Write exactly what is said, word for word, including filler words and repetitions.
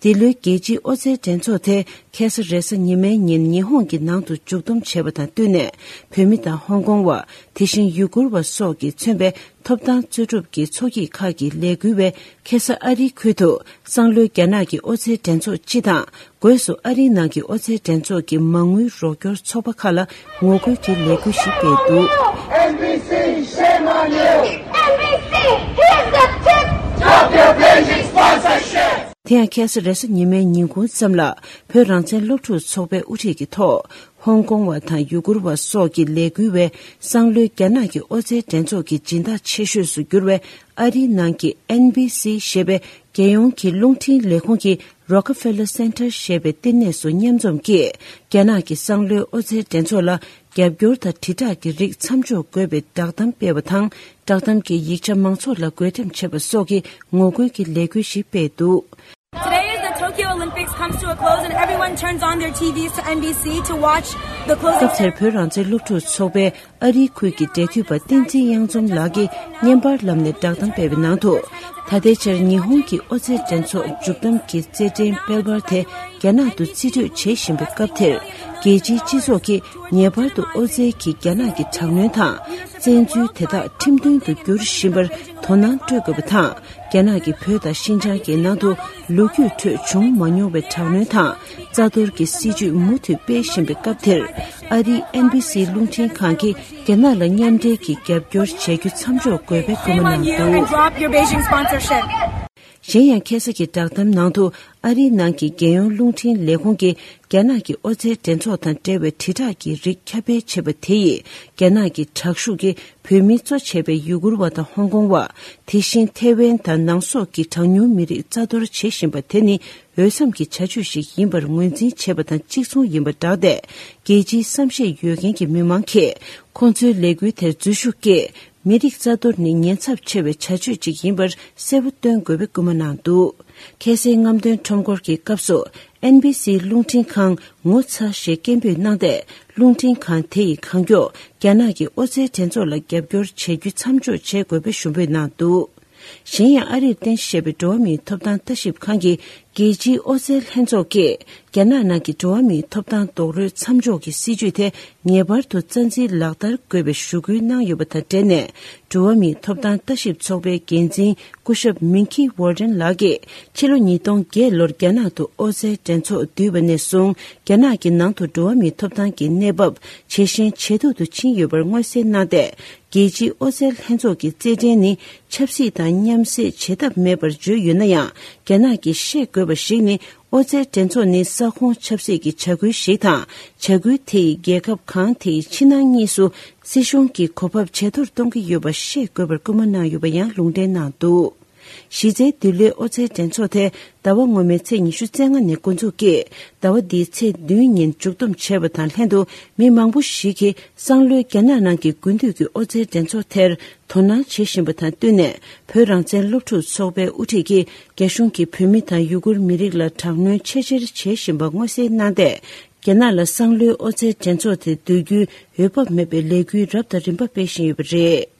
འདི་ལོའི་རྒྱལ་སྤྱིའི་ཨོ་རྩལ་འགྲན་ཚོགས་དེ་ཁ་སང་རེས་གཟའ་ཉི་མའི་ཉིན་ཉི་ཧོང་གི་ནང་དུ་མཇུག་བསྡོམས་བྱས་པ་དང་བསྟུན་ནས། བོད་མི་དང་ཧོང་ཀོང་བ། དེ་བཞིན་ཡུ་གུར་བ་སོགས་ཀྱིས་མཚོན་པའི་ཐོབ་ཐང་རྩོད་སྒྲུབ་ཀྱི་ཚོགས་སྐྱིད་ཁག་གིས་ལས་འགུལ་བས། ཁ་སང་ཨ་རིའི་ཁུལ་དུ་སང་ལོའི་རྒྱ་ནག་གི་ཨོ་རྩལ་འགྲན་ཚོགས་སྤྱི་དང་། སྒོས་སུ་ཨ་རིའི་ནང་གི་ཨོ་རྩལ་འགྲན་ཚོགས་ཀྱི་མ་དངུལ་རོགས་སྐྱོར་ཚོགས་པ་ཁག་ལ་ངོ་རྒོལ་གྱི་ལས་འགུལ་ཞིག་སྤེལ་འདུག། N B C, shame on you! N B C, here's the tip! Stop your blinking sponsorship! དེ་ཡང་ཁ་སང་རེས་གཟའ་ཉི་མའི་ཉིན་གུང་ཙམ་ལ་བོད་རང་བཙན་སློབ་ཕྲུག་ཚོགས་པའི་དབུ་ཁྲིད་ཀྱི་ཐོག་ཧོང་ཀོང་བ་དང་ཡུ་གུར་བ་སོགས་ཀྱི་ལས་འགུལ་བས། སང་ལོའི་རྒྱ་ནག་གི་ཨོ་རྩལ་འགྲན་ཚོགས་ཀྱི་སྦྱིན་བདག་ཆེ་ཤོས་སུ་གྱུར་བའི་ཨ་རིའི་ནང་གི་N B C ཞེས་པའི་རྒྱལ་ཡོངས་ཀྱི་རླུང་འཕྲིན་ལས་ཁུངས་ཀྱི་Rockefeller Center ཞེས་པའི་བསྟི་གནས་སུ་མཉམ་འཛོམས་ཀྱིས། རྒྱ་ནག་གི་སང་ལོའི་ཨོ་རྩལ་འགྲན་ཚོགས་ལ་རྒྱབ་སྐྱོར་དང་དྲིལ་བསྒྲགས་ཀྱི་རིགས་མཚམས་འཇོག་དགོས་པའི་བསྒྲགས་གཏམ་སྤེལ་བ་དང་། བསྒྲགས་གཏམ་གྱི་ཡིག་ཆ་མང་ཚོགས་ལ་འགོད་འགྲེམས་བྱས་པ་སོགས་ཀྱི་ངོ་རྒོལ་གྱི་ལས་འགུལ་ཞིག་སྤེལ་འདུག། Today, as the Tokyo Olympics comes to a close and everyone turns on their T Vs to N B C to watch the closing. སྐབས་དེར་བོད་རང་བཙན་སློབ་ཕྲུག་ཚོགས་པའི་ཨ་རིའི་ཁུལ་གྱི་འབྲེལ་མཐུད་པ་བསྟན་འཛིན་གཡང་འཛོམས་ལགས་ཀྱིས་བརྙན་པར་ལམ་ནས་བསྒྲགས་གཏམ་སྤེལ་བའི་ནང་དུ། ད་ལྟའི་ཆར་ཉི་ཧོང་གི་ཨོ་རྩལ་འགྲན་ཚོགས་མཇུག་བསྡོམས་ཀྱི་རྩེད་འགྲན་དཔལ་འབར་དེ་རྒྱ་ནག་ཏུ་རྩིས་སྤྲོད་བྱེད་བཞིན་པའི་སྐབས་དེར། རྒྱལ་སྤྱིའི་སྤྱི་ཚོགས་ཀྱིས་ངེས་པར་དུ་ཨོ་རྩལ་གྱི་རྒྱ་ནག་གི་དྲག་གནོན་དང་། བཙན་འཛུལ་དེ་དག་ཁྲིམས་མཐུན་དུ་འགྱུར་བཞིན་པར་དོ་སྣང་སྤྲོད་དགོས་པ་དང་། རྒྱ་ནག་གིས་བོད་དང་ཤིན་ཅང་གི་ནང་དུ་ལོ་རྒྱུས་ཁྲོད་བྱུང་མ་མྱོང་བའི་དྲག་གནོན་དང་རྩ་གཏོར་གྱི་སྲིད་བྱུས་མུ་མཐུད་སྤེལ་བཞིན་པའི་སྐབས་དེར། ཨ་རིའི་N B C རླུང་འཕྲིན་ཁང་གིས་རྒྱ་ནག་ལ་མཉམ་འབྲེལ་གྱིས་རྒྱབ་སྐྱོར་བྱ་རྒྱུ་མཚམས་འཇོག་དགོས་པའི་སྐུལ་མ་གནང་འདུག། Shame on you and drop your Beijing sponsorship. གཞན་ཡང་ཁ་སང་གི་བསྒྲགས་གཏམ་ནང་དུ་ཨ་རིའི་ནང་གི་རྒྱལ་ཡོངས་རླུང་འཕྲིན་ལས་ཁུངས་ཀྱིས་རྒྱ་ནག་གི་ཨོ་རྩལ་འགྲན་ཚོགས་དང་འབྲེལ་བའི་དྲིལ་བསྒྲགས་ཀྱི་རིགས་ཁྱབ་སྤེལ་བྱས་པ་དེ་ཡིས་རྒྱ་ནག་གི་དྲག་ཤུགས་ཀྱིས་བོད་མིའི་གཙོ་བྱས་པའི་ཡུ་གུར་བ་དང་ཧོང་ཀོང་བ། དེ་བཞིན་ཐེ་ཝན་དང་ནང་སོག་གི་གྲངས་ཉུང་མི་རིགས་རྩ་གཏོར་བྱེད་བཞིན་པ་དེ་ནི་འོས་འཚམ་གྱི་བྱ་སྤྱོད་ཞིག་ཡིན་པར་ངོས་འཛིན་བྱས་པ་དང་གཅིག་མཚུངས་ཡིན་པ་བསྒྲགས་ཏེ། རྒྱལ་སྤྱིའི་བསམ་ཤེས་ཡོད་མཁན་གྱི་མི་མང་གིས་ཁོང་ཚོའི་ལས་འགུལ་དེར་འཛུལ་ཞུགས་ཀྱིས། མི་རིགས་རྩ་གཏོར་ནི་ཉེན་ཚབས་ཆེ་བའི་བྱ་སྤྱོད་ཅིག་ཡིན་པར་གསལ་པོ་སྟོན་དགོས་པའི་སྐུལ་མ་གནང་འདུག། ཁ་སའི་རྔམ་སྟོན་ཁྲོམ་སྐོར་གྱི་སྐབས་སུ་N B C རླུང་འཕྲིན་ཁང་ངོ་ཚ་ཞེས་སྐད་འབོད་གནང་སྟེ། རླུང་འཕྲིན་ཁང་དེ་ཡིས་གང་མགྱོགས་རྒྱ་ནག་གི་ཨོ་རྩལ་འགྲན་ཚོགས་ལ་རྒྱབ་སྐྱོར་བྱེད་རྒྱུ་མཚམས་འཇོག་བྱེད་དགོས་པའི་ཞུ་འབོད་གནང་འདུག། གཞན་ཡང་ཨ་རིར་རྟེན་གཞི་བྱས་པའི་འགྲོ་བ་མིའི་ཐོབ་ཐང་ལྟ་ཞིབ་ཁང་གིས་རྒྱལ་སྤྱིའི་ཨོ་རྩལ་ལྷན་ཚོགས་ཀྱིས་རྒྱ་ནག་ནང་གི་འགྲོ་བ་མིའི་ཐོབ་ཐང་རྡོག་རོལ་མཚམས་འཇོག་གི་སྲིད་ཇུས་དེ་ངེས་པར་དུ་རྩ་འཛིན་ལག་བསྟར་དགོས་པའི་ཞུ་སྐུལ་གནང་ཡོད་པ་དང་འབྲེལ་ནས། འགྲོ་བ་མིའི་ཐོབ་ཐང་ལྟ་ཞིབ་ཚོགས་པའི་འགན་འཛིན་སྐུ་ཞབས་མིང་ཁི་ཝོར་ཏན་ལགས་ཀྱིས་ཕྱི་ལོ་ཉིས་སྟོང་བརྒྱད་ལོར་རྒྱ་ནག་ཏུ་ཨོ་རྩལ་འགྲན་ཚོགས་བསྡུས་པ་ནས་བཟུང་རྒྱ་ནག་གི་ནང་དུ་འགྲོ་བ་མིའི་ཐོབ་ཐང་གི་གནས་བབ་ཇེ་ཞན་ཇེ་སྡུག་ཏུ་ཕྱིན་ཡོད་པར་མངོན་གསལ་གནང་སྟེ། རྒྱལ་སྤྱིའི་ཨོ་རྩལ་ལྷན་ཚོགས་ཀྱི་རྩེད་འགྲན་ནི་ཆབ་སྲིད་དང་མཉམ་བསྲེས་བྱེད་ཐབས་མེད་པར་བརྗོད་ཡོད་ན་ཡང་། རྒྱ་ནག་གིས་ཤེས་དགོས་པ་ཞིག་ནི། ཨོ་རྩལ་འགྲན་ཚོགས་ནི་ས་ཁོངས་ཆབ་སྲིད་ཀྱི་བྱ་འགུལ་ཞིག་དང་། བྱ་འགུལ་དེ་ཡིས་རྒྱལ་ཁབ་གང་དེའི་ཕྱི་ནང་གཉིས་སུ་སྲིད་གཞུང་གི་གོ་བབ་ཇེ་མཐོར་གཏོང་གི་ཡོད་པ་ཤེས་དགོས་པར་སྐུལ་མ་གནང་ཡོད་པ་ཡང་ལུང་འདྲེན་གནང་འདུག། གཞི་རྩའི་འདི་ལོའི་ཨོ་རྩལ་འགྲན་ཚོགས་དེ་ཟླ་བ་སྔོན་མའི་ཚེས་ཉི་ཤུ་རྩ་ལྔ་ནས་འགོ་འཛུགས་ཀྱིས་ཟླ་བ་འདིའི་ཚེས་བདུན་ཉིན་མཇུག་བསྡོམས་བྱས་པ་དང་ལྷན་དུ། མི་མང་པོ་ཞིག་གིས་སང་ལོའི་རྒྱ་ནག་ནང་གི་དགུན་དུས་ཀྱི་ཨོ་རྩལ་འགྲན་ཚོགས་དེར་དོ་སྣང་བྱེད་བཞིན་པ་དང་བསྟུན་ནས། བོད་རང་བཙན་སློབ་ཕྲུག་ཚོགས་པའི་དབུ་ཁྲིད་ཀྱིས་རྒྱ་གཞུང་གིས་བོད་མི་དང་ཡུ་གུར་མི་རིགས་ལ་དྲག་གནོན་ཆེས་ཆེར་བྱེད་བཞིན་པ་མངོན་གསལ་གནང་སྟེ། རྒྱ་ནག་ལ་སང་ལོའི་ཨོ་རྩལ་འགྲན་ཚོགས་དེ་བསྡུ་རྒྱུའི་འོས་བབ་མེད་པའི་ལས་འགུལ་རབ་དང་རིམ་པ་སྤེལ་བཞིན་ཡོད་པ་རེད།